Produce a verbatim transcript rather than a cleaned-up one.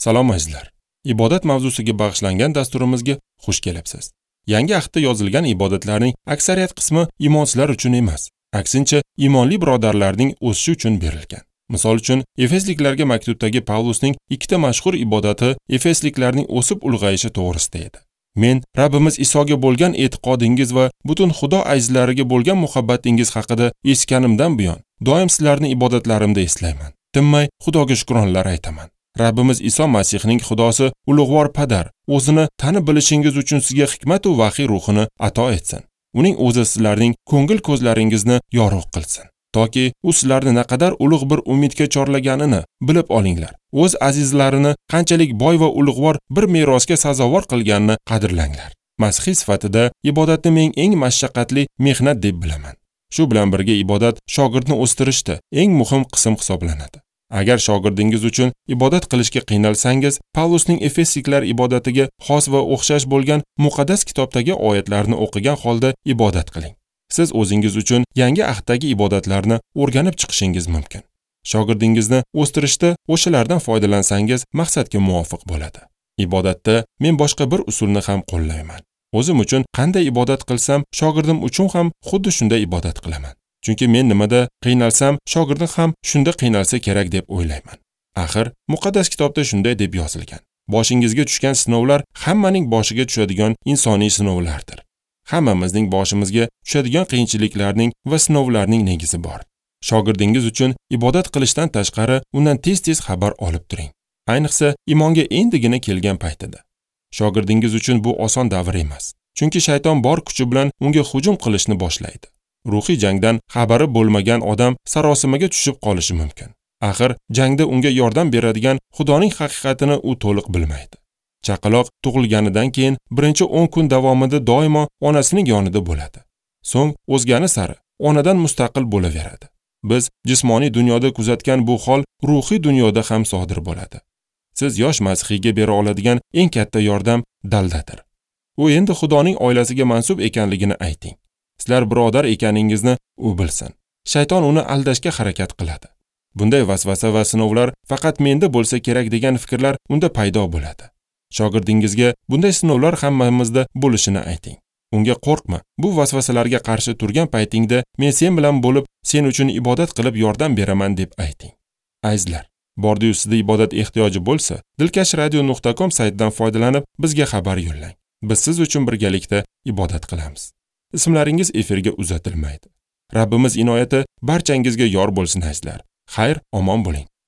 Salom azizlar. Ibodat mavzusiga bag'ishlangan dasturimizga xush kelibsiz. Yangi ahdda yozilgan ibodatlarning aksariyat qismi imonsizlar uchun emas, aksincha imonli birodarlarning o'sishi uchun berilgan. Misol uchun, Efesliklarga maktubdagi Pavlusning ikkita mashhur ibodati Efesliklarning o'sib ulg'ayishi to'g'risida edi. Men Rabbimiz Isoga bo'lgan e'tiqodingiz va butun Xudo azizlariga bo'lgan muhabbatingiz haqida eshitganimdan buyon doim sizlarni ibodatlarimda eslayman. Tinmay Xudoga shukronlar aytaman. Rabbimiz Iso Masihning Xudosi ulug'vor Padar o'zini tanib bilishingiz uchun sizga hikmat va vahiy ruhini ato etsin. Uning o'zi sizlarning ko'ngil ko'zlaringizni yorug' qilsin, toki u sizlarni naqadar ulug' bir umidga chorlaganini bilib olinglar. O'z azizlarini qanchalik boy va ulug'vor bir merosga sazovor qilganini qadrlanglar. Masihiy sifatida ibodatni men eng mashaqqatli mehnat deb bilaman. Shu bilan birga ibodat shogirdni o'stirishda eng muhim qism hisoblanadi. Agar shogirdingiz uchun ibodat qilishga qiynalsangiz, Pavlusning Efesliklar ibodatiga xos va o'xshash bo'lgan muqaddas kitobdagi oyatlarni o'qigan holda ibodat qiling. Siz o'zingiz uchun yangi ahddagi ibodatlarni o'rganib chiqishingiz mumkin. Shogirdingizni o'stirishda o'shalardan foydalansangiz maqsadga muvofiq bo'ladi. Ibodatda men boshqa bir usulni ham qo'llayman. O'zim uchun qanday ibodat qilsam, shogirdim uchun ham xuddi shunday ibodat qilaman. Chunki men nimada qiynalsam, shogirdim ham shunda qiynalsa kerak deb o'ylayman. Axir, muqaddas kitobda shunday deb yozilgan. Boshingizga tushgan sinovlar hammaning boshiga tushadigan insoniy sinovlardir. Hammamizning boshimizga tushadigan qiyinchiliklarning va sinovlarning negizi bor. Shogirdingiz uchun ibodat qilishdan tashqari undan tez-tez xabar olib turing. Ayniqsa, imonga endigina kelgan paytida. Shogirdingiz uchun bu oson davr emas. Chunki shayton bor kuchi bilan unga hujum qilishni boshlaydi. Ruhiy jangdan xabari bo'lmagan odam sarosimaga tushib qolishi mumkin. Axir, jangda unga yordam beradigan Xudoning haqiqatini u to'liq bilmaydi. Chaqaloq tug'ilganidan keyin birinchi o'n kun davomida doimo onasining yonida bo'ladi. So'ng o'zgani sari onadan mustaqil bo'laveradi. Biz jismoniy dunyoda kuzatgan bu hol ruhiy dunyoda ham sodir bo'ladi. Siz yosh masihiyga bera oladigan eng katta yordam daldadir. U endi Xudoning oilasiga mansub ekanligini ayting. Sizlar birodar ekaningizni u bilsin. Shayton uni aldashga harakat qiladi. Bunday vasvasa va sinovlar faqat menda bo'lsa kerak degan fikrlar unda paydo bo'ladi. Shogirdingizga bunday sinovlar hammamizda bo'lishini ayting. Unga qo'rqma, bu vasvasalarga qarshi turgan paytingda men sen bilan bo'lib, sen uchun ibodat qilib yordam beraman deb ayting. Azizlar, bordiyu sizda ibodat ehtiyoji bo'lsa, dilkash radio nuqta com saytidan foydalanib bizga xabar yo'llang. Biz siz uchun birgalikda ibodat qilamiz. Ismlaringiz efirga uzatilmaydi. Rabbimiz inoyati barchangizga yor bo'lsin azizlar. Xayr, omon bo'ling.